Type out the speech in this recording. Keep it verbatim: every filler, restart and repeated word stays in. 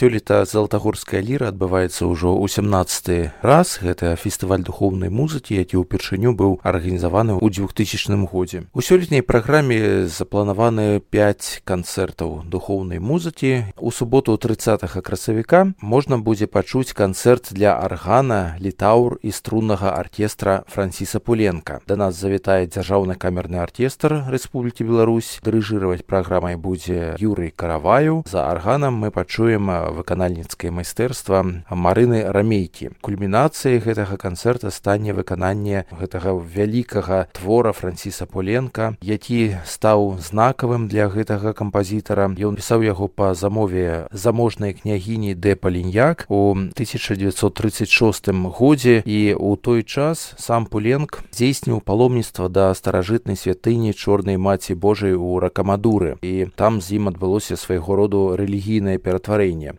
Сёлета залатагорская ліра адбываецца ўжо ў сямнаццаты раз. Гэта фестываль духоўнай музыкі, які ўпершыню быў арганізаваны ў двухтысячным годзе. У сёлетняй праграме запланаваны пяць канцэртаў духоўнай музыкі. У суботу трыццатага красавіка можна будзе пачуць канцэрт для аргана, літаўр і струннага аркестра Франціса Пуленка. Да нас завітае дзяржаўны камерны аркестр Рэспублікі Беларусь. Дырыжыраваць праграмай будзе Юрый Караваю. За арганам мы пачуем выканальніцкае майстэрства Марыны Рамейкі. Кульмінацыяй гэтага канцэрта стане выкананне гэтага вялікага твора Франціса Пуленка, які стаў знакавым для гэтага кампазітара. Ён пісаў яго па замове заможнай княгіні дэ Паліньяк у тысяча дзевяцьсот трыццаць шостым годзе, і ў той час сам Пуленк здзейсніў паломніцтва да старажытнай святыні Чорнай Маці Божай у Ракамадуры, і там з ім адбылося свайго роду рэлігійнае ператварэнне.